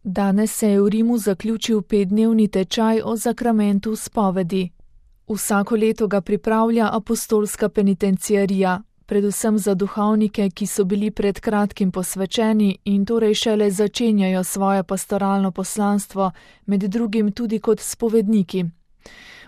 Danes se je v Rimu zaključil 5-dnevni tečaj o zakramentu spovedi. Vsako leto ga pripravlja apostolska penitenciarija, predvsem za duhovnike, ki so bili pred kratkim posvečeni in torej šele začenjajo svoje pastoralno poslanstvo, med drugim tudi kot spovedniki.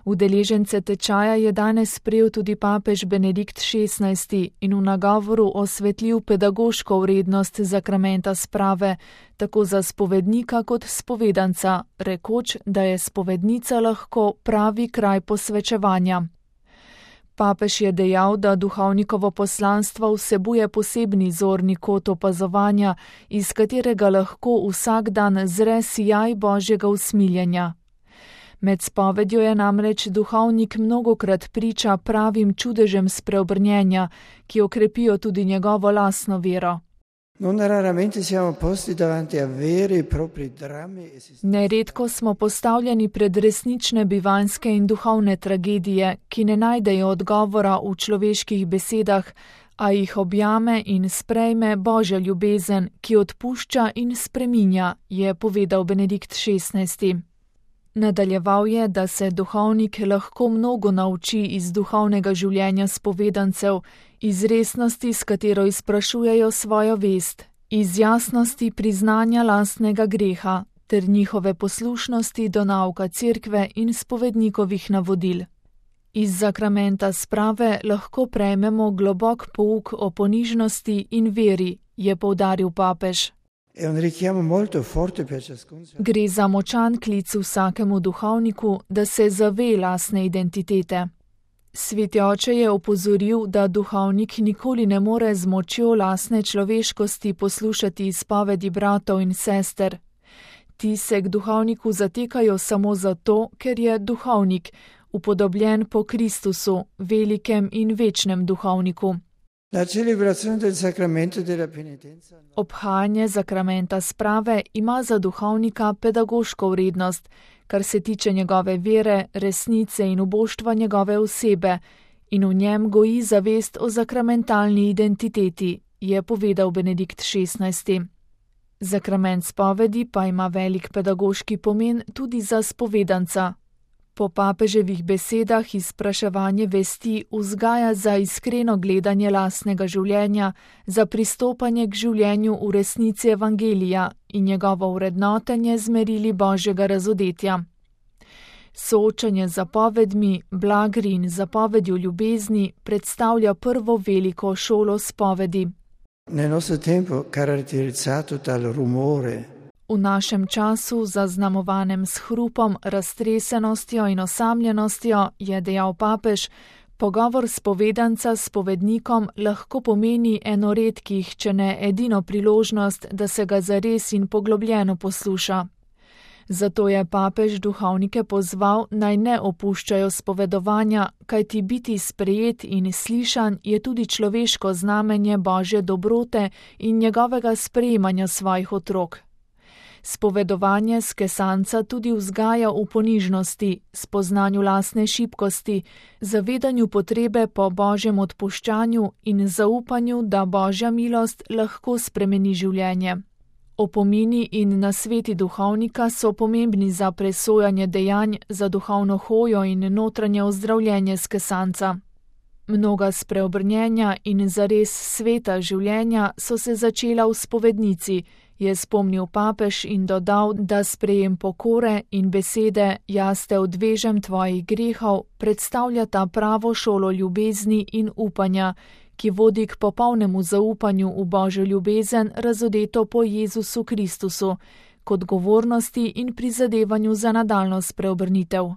Udeležence tečaja je danes sprejel tudi papež Benedikt XVI in v nagovoru osvetlil pedagoško vrednost zakramenta sprave, tako za spovednika kot spovedanca, rekoč, da je spovednica lahko pravi kraj posvečevanja. Papež je dejal, da duhovnikovo poslanstvo vsebuje posebni zorni kot opazovanja, iz katerega lahko vsak dan zre sijaj Božjega usmiljenja. Med spovedjo je namreč duhovnik mnogokrat priča pravim čudežem spreobrnjenja, ki okrepijo tudi njegovo lastno vero. Neredko smo postavljeni pred resnične bivanjske in duhovne tragedije, ki ne najdejo odgovora v človeških besedah, a jih objame in sprejme Božja ljubezen, ki odpušča in spreminja, je povedal Benedikt XVI. Nadaljeval je, da se duhovnik lahko mnogo nauči iz duhovnega življenja spovedancev, iz resnosti, s katero izprašujejo svojo vest, iz jasnosti priznanja lastnega greha ter njihove poslušnosti do nauka cerkve in spovednikovih navodil. Iz zakramenta sprave lahko prejmemo globok pouk o ponižnosti in veri, je poudaril papež. Gre za močan klic vsakemu duhovniku, da se zave lastne identitete. Sveti oče je opozoril, da duhovnik nikoli ne more z močjo lastne človeškosti poslušati izpovedi bratov in sester. Ti se k duhovniku zatekajo samo zato, ker je duhovnik, upodobljen po Kristusu, velikem in večnem duhovniku. Obhajanje zakramenta sprave ima za duhovnika pedagoško vrednost, kar se tiče njegove vere, resnice in uboštva njegove osebe, in v njem goji zavest o zakramentalni identiteti, je povedal Benedikt XVI. Zakrament spovedi pa ima velik pedagoški pomen tudi za spovedanca. Po papeževih besedah izpraševanje vesti vzgaja za iskreno gledanje lastnega življenja, za pristopanje k življenju v resnici evangelija in njegovo vrednotenje z merili Božjega razodetja. Soočanje z zapovedmi, blagri in zapovedjo ljubezni predstavlja prvo veliko šolo spovedi. V našem času, zaznamovanem s hrupom, raztresenostjo in osamljenostjo, je dejal papež, pogovor spovedanca s spovednikom lahko pomeni eno redkih, če ne edino priložnost, da se ga zares in poglobljeno posluša. Zato je papež duhovnike pozval, naj ne opuščajo spovedovanja, kajti biti sprejet in slišan je tudi človeško znamenje Božje dobrote in njegovega sprejemanja svojih otrok. Spovedovanje skesanca tudi vzgaja v ponižnosti, spoznanju lastne šibkosti, zavedanju potrebe po Božjem odpuščanju in zaupanju, da Božja milost lahko spremeni življenje. Opomini in nasveti duhovnika so pomembni za presojanje dejanj, za duhovno hojo in notranje ozdravljenje skesanca. Mnoga spreobrnjenja in zares sveta življenja so se začela v spovednici, je spomnil papež in dodal, da sprejem pokore in besede jaz te odvežem tvojih grehov predstavljata pravo šolo ljubezni in upanja, ki vodi k popolnemu zaupanju v Božjo ljubezen razodeto po Jezusu Kristusu, k odgovornosti in prizadevanju za nadaljnjo spreobrnitev.